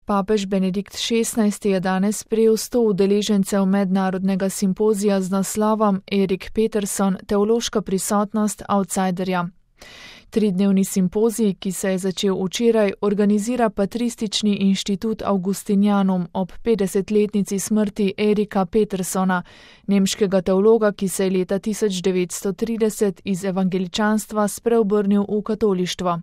Papež Benedikt XVI je danes sprejel 100 udeležencev mednarodnega simpozija z naslovom Erik Peterson – teološka prisotnost outsiderja. Tridnevni simpozij, ki se je začel včeraj, organizira Patristični inštitut Augustinianum ob 50-letnici smrti Erika Petersona, nemškega teologa, ki se je leta 1930 iz evangeličanstva spreobrnil v katolištvo.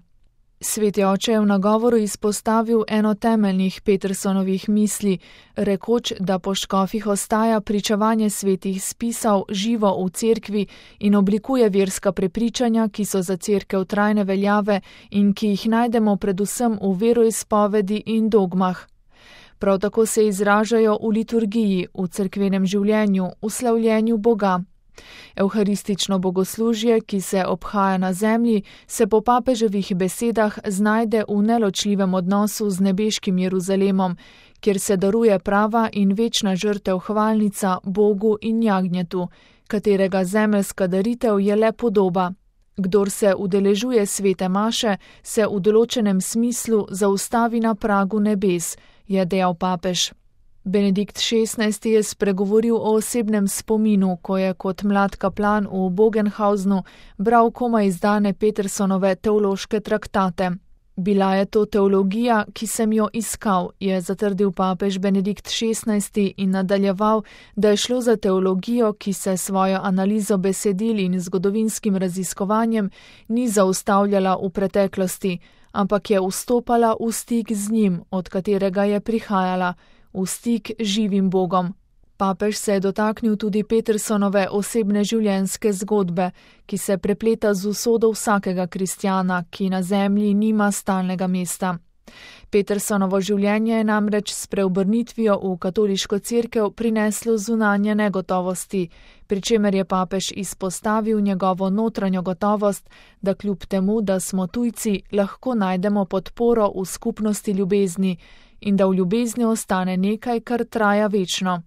Sveti oče je v nagovoru izpostavil eno temeljnih Petersonovih misli, rekoč, da po škofih ostaja pričevanje svetih spisov živo v cerkvi in oblikuje verska prepričanja, ki so za cerkev trajne veljave in ki jih najdemo predvsem v veroizpovedi in dogmah. Prav tako se izražajo v liturgiji, v cerkvenem življenju, v slavljenju Boga. Evharistično bogoslužje, ki se obhaja na zemlji, se po papeževih besedah znajde v neločljivem odnosu z nebeškim Jeruzalemom, kjer se daruje prava in večna žrtev hvalnica Bogu in jagnjetu, katerega zemeljska daritev je le podoba. Kdor se udeležuje svete maše, se v določenem smislu zaustavi na pragu nebes, je dejal papež. Benedikt XVI je spregovoril o osebnem spominu, ko je kot mlad kaplan v Bogenhausnu bral komaj izdane Petersonove teološke traktate. Bila je to teologija, ki sem jo iskal, je zatrdil papež Benedikt XVI in nadaljeval, da je šlo za teologijo, ki se svojo analizo besedil in zgodovinskim raziskovanjem ni zaustavljala v preteklosti, ampak je vstopala v stik z njim, od katerega je prihajala, v stik živim Bogom. Papež se je dotaknil tudi Petersonove osebne življenjske zgodbe, ki se prepleta z usodo vsakega kristjana, ki na zemlji nima stalnega mesta. Petersonovo življenje je namreč s preobrnitvijo v katoliško cerkev prineslo zunanje negotovosti, pri čemer je papež izpostavil njegovo notranjo gotovost, da kljub temu, da smo tujci, lahko najdemo podporo v skupnosti ljubezni in da v ljubezni ostane nekaj, kar traja večno.